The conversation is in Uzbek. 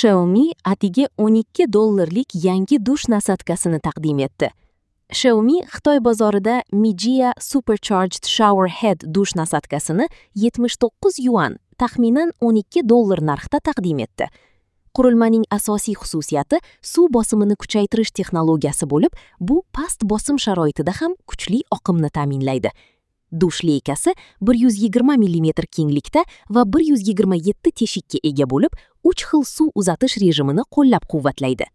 Xiaomi atigi 12 dollarlik yangi dush насадка sini taqdim etdi. Xiaomi Xitoy bozorida Mijia Supercharged Shower Head dush насадка sini 79 yuan, taxminan 12 dollar narxda taqdim etdi. Qurilmaning asosiy xususiyati suv bosimini kuchaytirish texnologiyasi bo'lib, bu past bosim sharoitida ham kuchli oqimni ta'minlaydi. Dush leykasi 120 mm kenglikda va 127 teshikka ega bo'lib, 3 xil suv uzatish rejimini qo'llab-quvvatlaydi.